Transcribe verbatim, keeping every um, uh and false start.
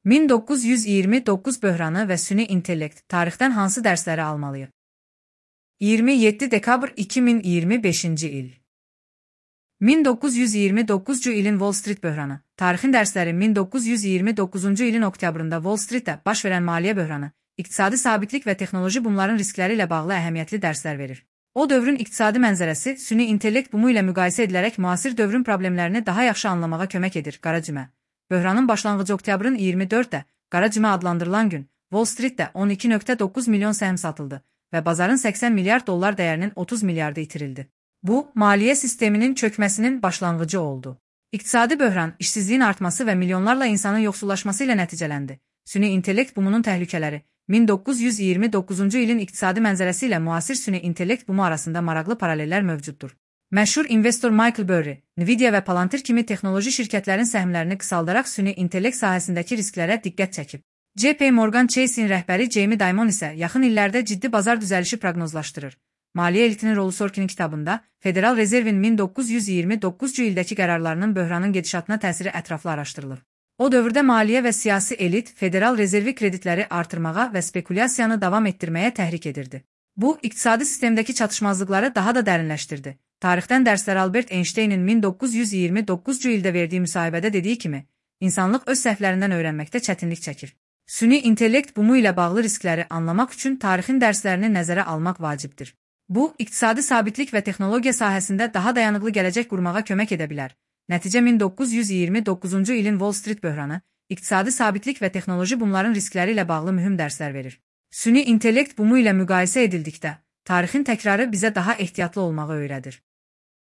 min doqquz yüz iyirmi doqquz böhranı və süni intellekt tarixdən hansı dərsləri almalıyıq? iyirmi yeddi dekabr iki min iyirmi beşinci il. min doqquz yüz iyirmi doqquzuncu ilin Wall Street böhranı. Tarixin dərsləri min doqquz yüz iyirmi doqquzuncu ilin oktyabrında Wall Streetdə baş verən maliyyə böhranı, iqtisadi sabitlik və texnoloji bumların riskləri ilə bağlı əhəmiyyətli dərslər verir. O dövrün iqtisadi mənzərəsi süni intellekt bumu ilə müqayisə edilərək müasir dövrün problemlərini daha yaxşı anlamağa kömək edir. Qara cümə. Böhranın başlanğıcı oktyabrın iyirmi dördündə, qara cümə adlandırılan gün, Wall Streetdə on iki nöqtə doqquz milyon səhm satıldı və bazarın səksən milyard dollar dəyərinin otuz milyardı itirildi. Bu, maliyyə sisteminin çökməsinin başlanğıcı oldu. İqtisadi böhran, işsizliyin artması və milyonlarla insanın yoxsullaşması ilə nəticələndi. Süni intellekt bumunun təhlükələri, min doqquz yüz iyirmi doqquzuncu ilin iqtisadi mənzərəsi ilə müasir süni intellekt bumu arasında maraqlı paralellər mövcuddur. Məşhur investor Michael Burry, Nvidia və Palantir kimi texnoloji şirkətlərin səhmlərini qısaldaraq süni intellekt sahəsindəki risklərə diqqət çəkib. J P Morgan Chase'in rəhbəri Jamie Dimon isə yaxın illərdə ciddi bazar düzəlişi proqnozlaşdırır. Maliyyə elitinin rolu Sorkin'in kitabında, Federal Rezervin min doqquz yüz iyirmi doqquzuncu ildəki qərarlarının böhranın gedişatına təsiri ətraflı araşdırılır. O dövrdə maliyyə və siyasi elit Federal Rezervi kreditləri artırmağa və spekulyasiyanı davam etdirməyə təhrik edirdi. Bu, iqtisadi sistemdəki çatışmazlıqları daha da dərinləşdirdi. Tarixdən dərslər Albert Einstein'in min doqquz yüz iyirmi doqquzuncu ildə verdiyi müsahibədə dediyi kimi, insanlıq öz səhvlərindən öyrənməkdə çətinlik çəkir. Süni intellekt bumu ilə bağlı riskləri anlamaq üçün tarixin dərslərini nəzərə almaq vacibdir. Bu, iqtisadi sabitlik və texnologiya sahəsində daha dayanıqlı gələcək qurmağa kömək edə bilər. Nəticə min doqquz yüz iyirmi doqquzuncu ilin Wall Street böhranı, iqtisadi sabitlik və texnoloji bumların riskləri ilə bağlı mühüm dərslər verir. Süni intellekt bumu ilə müqayisə edildikdə, tarixin təkrarı bizə daha ehtiyatlı olmağı öyrədir.